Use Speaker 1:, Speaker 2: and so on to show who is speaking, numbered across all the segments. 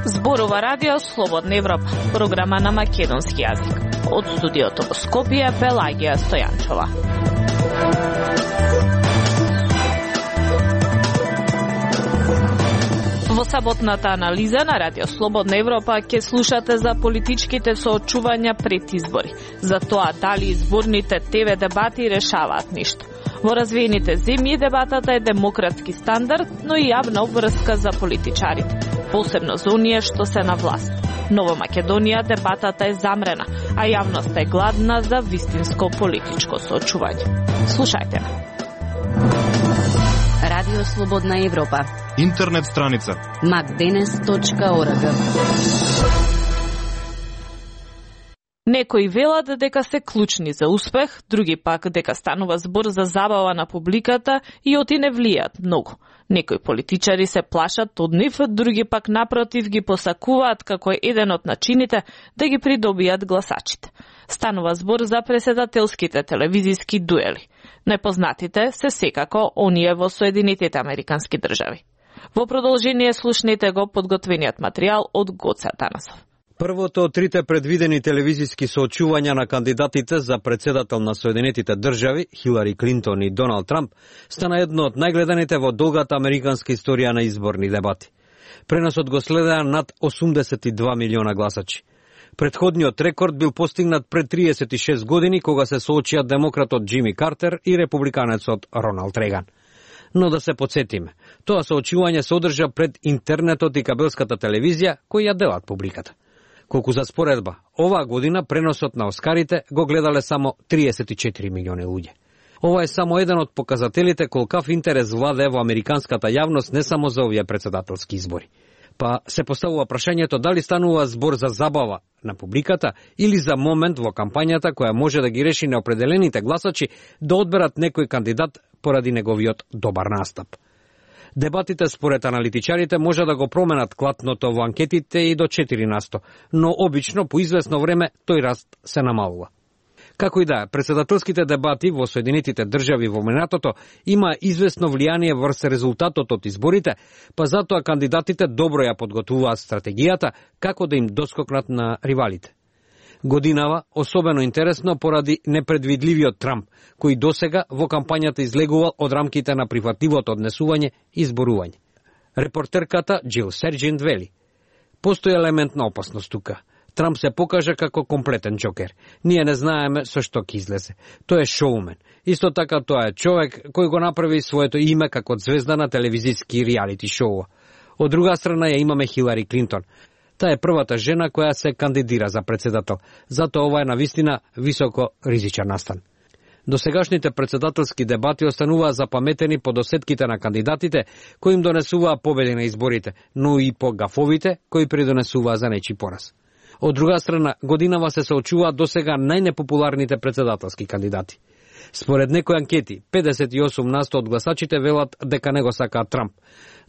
Speaker 1: Зборува Радио Слободна Европа, програма на македонски јазик. Од студиото во Скопје, Пелагија Стојанчова. Во саботната анализа на Радио Слободна Европа ќе слушате за политичките соочувања пред избори, за тоа дали изборните ТВ дебати решаваат ништо. Во развиените земји дебатата е демократски стандард, но и јавна обврска за политичарите, посебно за оние што се на власт. Но во Македонија дебатата е замрена, а јавноста е гладна за вистинско политичко соочување. Слушајте ме.
Speaker 2: Радио Слободна Европа.
Speaker 3: Интернет страница
Speaker 2: macdenes.org.
Speaker 1: Некои велат дека се клучни за успех, други пак дека станува збор за забава на публиката и оти не влијаат многу. Некои политичари се плашат од нив, други пак напротив ги посакуваат како еден од начините да ги придобијат гласачите. Станува збор за преседателските телевизиски дуели. Најпознатите се секако оние во Соединетите Американски држави. Во продолжение слушнете го подготвениот материјал од Гоце Атанасов.
Speaker 4: Првото од трите предвидени телевизиски соочувања на кандидатите за председател на Соединетите држави, Хилари Клинтон и Доналд Трамп, стана едно од најгледаните во долгата американска историја на изборни дебати. Преносот го следеа над 82 милиона гласачи. Претходниот рекорд бил постигнат пред 36 години, кога се соочија демократот Џими Картер и републиканецот Роналд Реган. Но да се подсетиме, тоа соочување се одржа пред интернетот и кабелската телевизија, кои ја делат публиката. Колку за споредба, оваа година преносот на Оскарите го гледале само 34 милиони луѓе. Ова е само еден од показателите колкав интерес владее во американската јавност не само за овие председателски избори. Па се поставува прашањето дали станува збор за забава на публиката или за момент во кампањата која може да ги реши неопределените гласачи да одберат некој кандидат поради неговиот добар настап. Дебатите според аналитичарите може да го променат клатното во анкетите и до 4%, но обично по известно време тој раст се намалува. Како и да е, председателските дебати во Соединетите држави во минатото има известно влијание врз резултатот од изборите, па затоа кандидатите добро ја подготвуваат стратегијата како да им доскокнат на ривалите. Годинава особено интересно поради непредвидливиот Трамп, кој досега во кампањата излегувал од рамките на прифатливото однесување и изборување. Репортерката Джил Серджент вели: постои елемент на опасност тука. Трамп се покажа како комплетен џокер. Ние не знаеме со што ќе излезе. Тој е шоумен. Исто така тоа е човек кој го направи своето име како звезда на телевизиски реалити шоуа. Од друга страна ја имаме Хилари Клинтон. Таа е првата жена која се кандидира за председател. Затоа ова е навистина високо ризичен настан. Досегашните председателски дебати остануваа запаметени по досетките на кандидатите кои им донесуваа победи на изборите, но и по гафовите кои придонесуваа за нечи пораз. Од друга страна, годинава се соочуваат досега најнепопуларните председателски кандидати. Според некои анкети, 58% од гласачите велат дека не го сакаат Трамп,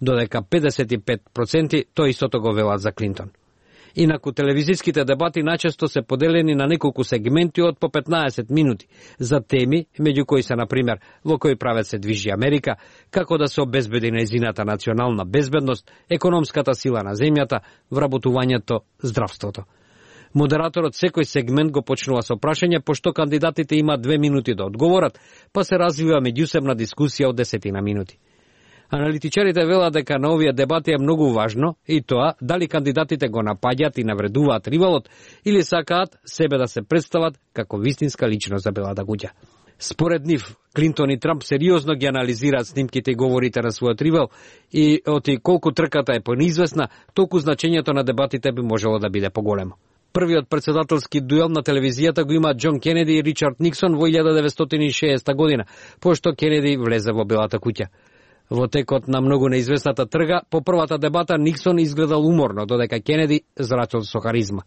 Speaker 4: додека 55% тој истото го велат за Клинтон. Инаку телевизиските дебати најчесто се поделени на неколку сегменти од по 15 минути за теми, меѓу кои се, например, во кој правец се движи Америка, како да се обезбеди нејзината национална безбедност, економската сила на земјата, вработувањето, здравството. Модераторот секој сегмент го почнува со прашање, пошто кандидатите имаат 2 минути да одговорат, па се развива меѓусебна дискусија од 10 минути. Аналитичарите велат дека на овие дебати е многу важно и тоа дали кандидатите го напаѓаат и навредуваат ривалот или сакаат себе да се представат како вистинска личност за белата куќа. Според нив, Клинтон и Трамп сериозно ги анализираат снимките и говорите на својот ривал и оти колку трката е понизвестна, толку значењето на дебатите би можело да биде поголемо. Првиот председателски дуел на телевизијата го има Џон Кенеди и Ричард Никсон во 1960 година, пошто Кенеди влезе во белата куќа. Во текот на многу неизвестната трга, по првата дебата Никсон изгледал уморно, додека Кенеди зрачал со харизма.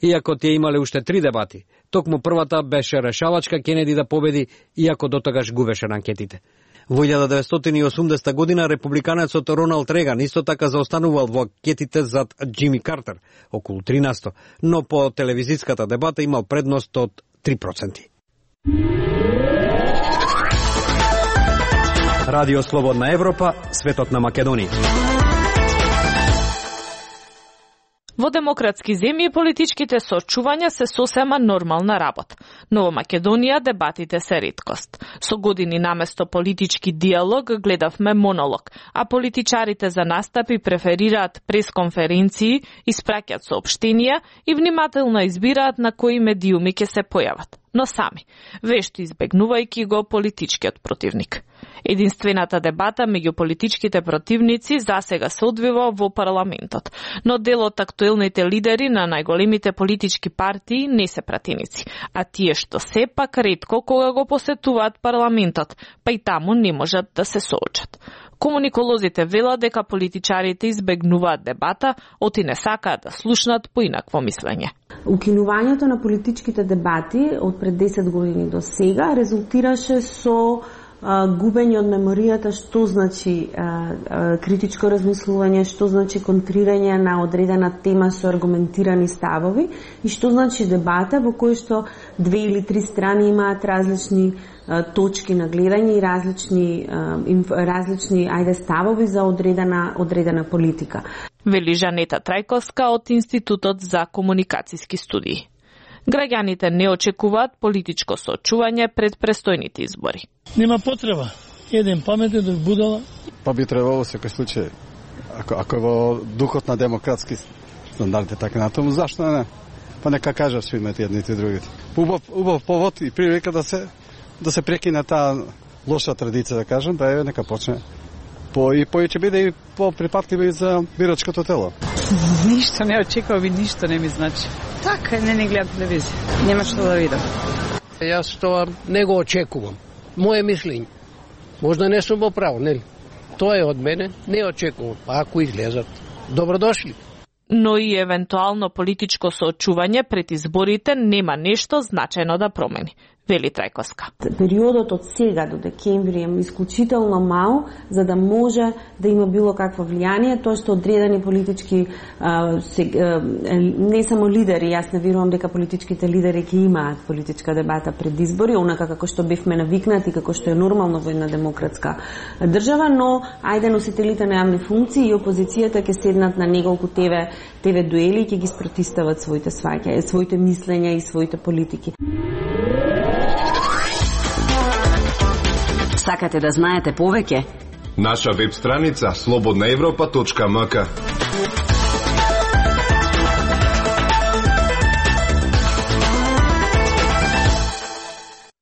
Speaker 4: Иако тие имале уште 3 дебати, токму првата беше решавачка Кенеди да победи, иако дотогаш губеше на анкетите. Во 1980 година републиканецот Роналд Реган исто така заостанувал во анкетите зад Џими Картер, околу 13%, но по телевизиската дебата имал предност од 3%. Радио Слободна Европа, светот на Македонија.
Speaker 1: Во демократски земји политичките соочувања се сосема нормална работа, но во Македонија дебатите се реткост. Со години наместо политички диалог гледавме монолог, а политичарите за настапи преферираат пресконференции, испраќаат соопштенија и внимателно избираат на кои медиуми ќе се појават, но сами, вешто избегнувајќи го политичкиот противник. Единствената дебата меѓу политичките противници засега се одвива во парламентот, но дел од актуелните лидери на најголемите политички партии не се пратеници, а тие што сепак ретко кога го посетуваат парламентот, па и таму не можат да се соочат. Комуниколозите велат дека политичарите избегнуваат дебата, оти не сакаат да слушнат поинакво мислење.
Speaker 3: Укинувањето на политичките дебати од пред 10 години до сега резултираше со губење од меморијата што значи критичко размислување, што значи контрирање на одредена тема со аргументирани ставови и што значи дебата во кој што 2 или 3 страни имаат различни точки на гледање и различни ставови за одредена политика.
Speaker 1: Вели Жанета Трајковска од Институтот за комуникацијски студии. Граѓаните не очекуваат политичко соочување пред престојните избори.
Speaker 5: Нема потреба. Еден паметен, друг будала.
Speaker 6: Па би требало во секој случај, ако во духот на демократски стандарди така натаму, зашто не? Па нека кажат што имате едните и другите. Убав повод и прилика да се прекине таа лоша традиција, да кажем, да е нека почне. И ќе биде и по-припатливи за бирачкото тело.
Speaker 7: Ништо не очекувам и ништо не ми значи. Така, не гледам телевизија. Нема што да видам.
Speaker 8: Јас тоа не го очекувам. Моje мислење. Можда не сум во право, нели? Тоа е од мене, не очекувам. Ако излезат, добродошли.
Speaker 1: Но и евентуално политичко соочување пред изборите нема нешто значајно да промени, вели Трајковска.
Speaker 3: Периодот од сега до декември е исклучително мал за да може да има било какво влијание, тоа што одредени политички не само лидери, јас не верувам дека политичките лидери ќе имаат политичка дебата пред избори, онака како што бевме навикнати, како што е нормално во една демократска држава, но ајде носителите на јавни функции и опозицијата ќе седнат на неколку ТВ дуели и ќе ги спротистават своите сваќања, своите мислења и своите политики.
Speaker 2: Сакате да знаете повеќе?
Speaker 9: Наша веб страница slobodnaevropa.mk.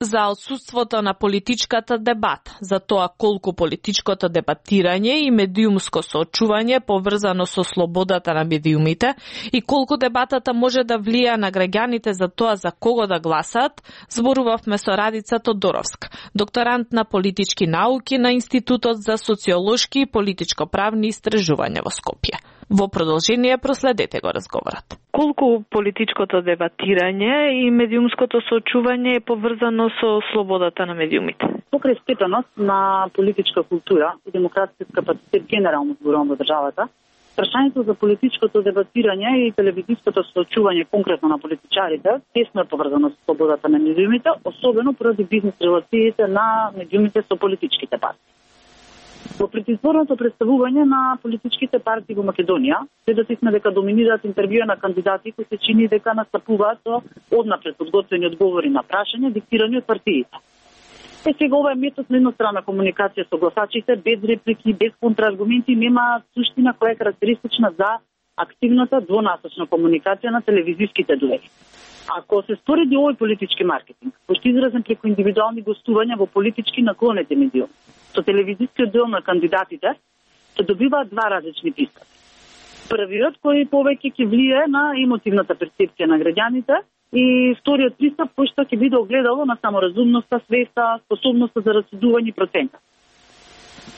Speaker 1: За отсутството на политичката дебата, за тоа колку политичкото дебатирање и медиумско соочување поврзано со слободата на медиумите и колку дебатата може да влија на граѓаните за тоа за кого да гласаат, зборувавме со Радица Тодоровска, докторант на политички науки на Институтот за социолошки и политичко-правни истражувања во Скопје. Во продолжение проследете го разговорот. Колку политичкото дебатирање и медиумското соочување е поврзано со слободата на медиумите?
Speaker 10: Покрај степеност на политичка култура и демократски капацитет генерално зборувам во државата, прашањето за политичкото дебатирање и телевизиското соочување конкретно на политичарите тесно е поврзано со слободата на медиумите, особено поради бизнес релациите на медиумите со политичките партии. Во предизборното представување на политичките партии во Македонија, сведоци сме дека доминираат интервјуа на кандидати кои се чини дека настапуваат со однапред подготвени одговори на прашања диктирани од партиите. Сега ова е метод на едностранна комуникација со гласачите, без реплики, без контрааргументи, нема суштина која е карактеристична за активната двонасочна комуникација на телевизиските дуели. Ако се спореди овој политички маркетинг, кој што изразен преку индивидуални гостувања во политички наклонети медиуми, со телевизискиот дел на кандидатите, се добиваат два различни пристапи. Првиот кој повеќе ќе влие на емотивната перцепција на граѓаните и вториот пристап кој што ќе биде огледало на саморазумноста, свеста, способноста за расудување и процента.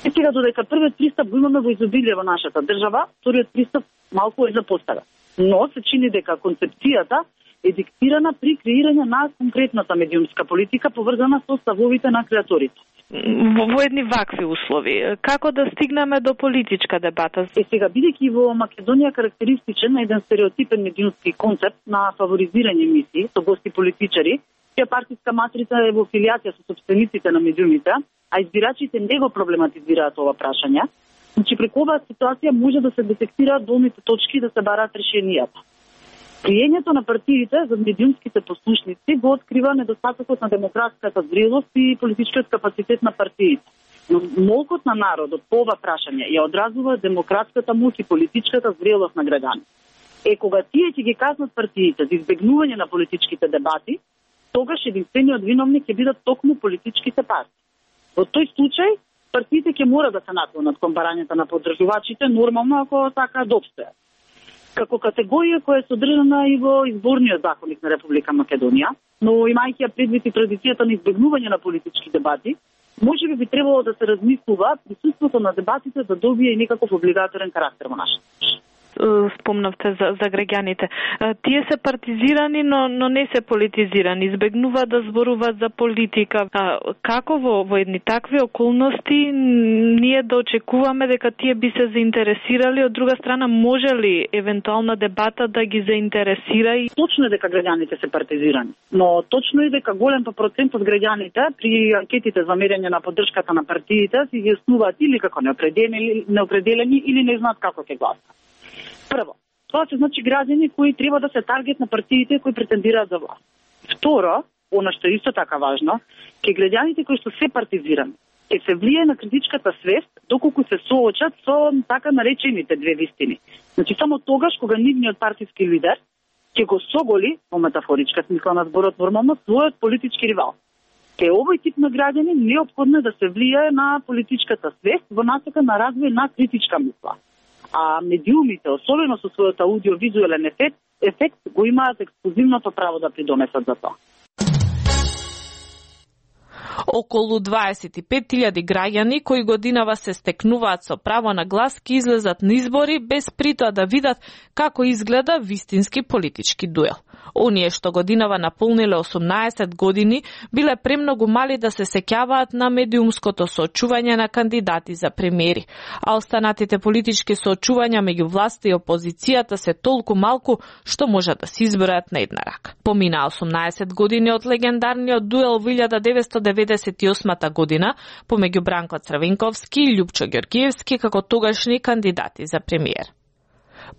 Speaker 10: И сега додека првиот пристап го имаме во изобилие во нашата држава, вториот пристап малку е запоставен. Но се чини дека концепцијата е диктирана при креирање на конкретната медиумска политика поврзана со ставовите на креаторите.
Speaker 1: Во едни вакви услови, како да стигнеме до политичка дебата?
Speaker 10: Сега, бидејќи во Македонија карактеристичен на еден стереотипен медиумски концепт на фаворизирање емисии со гости политичари чија партиска матрица е во филијација со сопствениците на медиумите, а избирачите не го проблематизираат ова прашање, значи преку оваа ситуација може да се детектираат болните точки и да се бараат решенијата. Криењето на партиите за медиумските послушници го открива недостатокот на демократската зрелост и политичкиот капацитет на партиите. Но молкот на народот по ова прашање ја одразува демократската моќ и политичката зрелост на граѓаните. Кога тие ќе ги казнат партиите за избегнување на политичките дебати, тогаш единствениот виновник ќе бидат токму политичките партии. Во тој случај, партиите ќе мора да се наклонат кон барањата на поддржувачите, нормално ако така да обстојат. Како категорија која е содржана и во изборниот законник на Република Македонија, но имајќи ја предвид и традицијата на избегнување на политички дебати, може би требало да се размислува присуството на дебатите да добие и некаков облигаторен карактер во нашата.
Speaker 1: Спомнавте за граѓаните. Тие се партизирани, но не се политизирани. Избегнуваат да зборуваат за политика. Како во едни такви околности ние да очекуваме дека тие би се заинтересирали? Од друга страна, може ли евентуална дебата да ги заинтересира?
Speaker 10: Точно е дека граѓаните се партизирани, но точно е дека голем процент од граѓаните при анкетите за мерење на поддршката на партиите си ги основаат или како неопределени или не знаат како ќе гласат. Прво, тоа се значи граѓани кои треба да се таргет на партиите кои претендираат за власт. Второ, она што е исто така важно, ке граѓаните кои што се партизирани, ќе се влие на критичката свест доколку се соочат со така наречените две вистини. Значи само тогаш кога нивниот партиски лидер ќе го соголи, по метафоричка смисла на зборот нормално, својот политички ривал. Ке овој тип на граѓани неопходно е да се влие на политичката свест во насока на развој на критичка мисла. А медиумите, особено со својот аудиовизуелен ефект, го имаат ексклузивното право да придонесат за тоа.
Speaker 1: Околу 25.000 граѓани кои годинава се стекнуваат со право на глас ки излезат на избори без притоа да видат како изгледа вистински политички дуел. Оние што годинава наполниле 18 години биле премногу мали да се сеќаваат на медиумското соочување на кандидати за премиери, а останатите политички соочувања меѓу власта и опозицијата се толку малку што може да се избројат на една рака. Помина 18 години од легендарниот дуел во 1998 година помеѓу Бранко Црвенковски и Љупчо Ѓоргиевски како тогашни кандидати за премиер.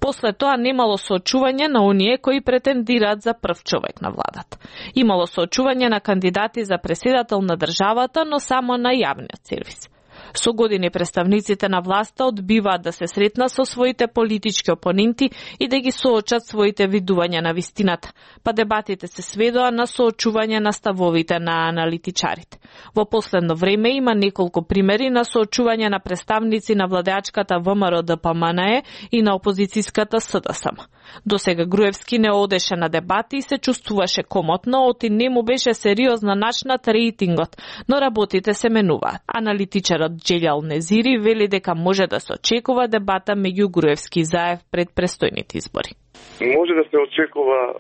Speaker 1: После тоа немало соочување на оние кои претендираат за прв човек на владата. Имало соочување на кандидати за преседател на државата, но само на јавниот сервис. Со години представниците на власта одбиваат да се сретнат со своите политички опоненти и да ги соочат своите видувања на вистината, па дебатите се сведоа на соочување на ставовите на аналитичарите. Во последно време има неколку примери на соочување на представници на владеачката ВМРО-ДПМНЕ и на опозицијската СДСМ. Досега Груевски не одеше на дебати и се чувствуваше комотно, оти не му беше сериозно начнат рейтингот, но работите се менуваат. Аналитичарот Джелјал Незири вели дека може да се очекува дебата меѓу Груевски и Заев пред престојните избори.
Speaker 11: Може да се очекува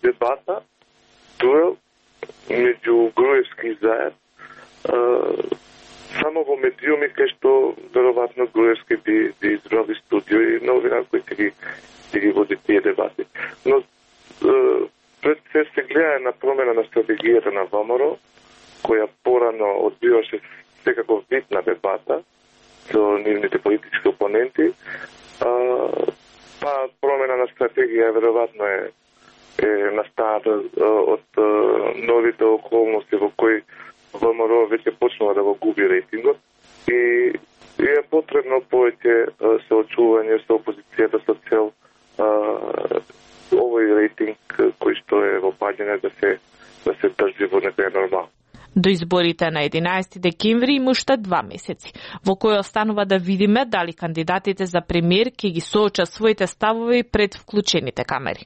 Speaker 11: дебата, дуел меѓу Груевски и Заев, само во медиуми кај што веројатно Груевски би изради студио и новина кои ќе ги води тие дебати. Но пред се гледа на промена на стратегијата на ВМРО, која порано одбиваше секако битна дебата со нивните политички опоненти, па промена на стратегија веројатно е настаната од новите околности во кои ВМРО веќе почнува да го губи рейтингот и е потребно повеќе соочување со опозицијата со цел овој рейтинг кој што е во падање да се држи во некоја нормал.
Speaker 1: До изборите на 11 декември има уште 2 месеци, во кој останува да видиме дали кандидатите за премиер ќе ги соочат своите ставови пред вклучените камери.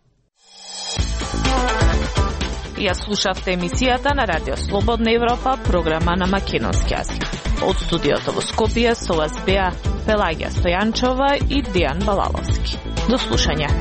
Speaker 1: Ја слушавте емисијата на Радио Слободна Европа, програма на македонски јазик. Од студиото во Скопје со вас беа Пелагија Стојанчова и Дејан Балаловски. До слушање.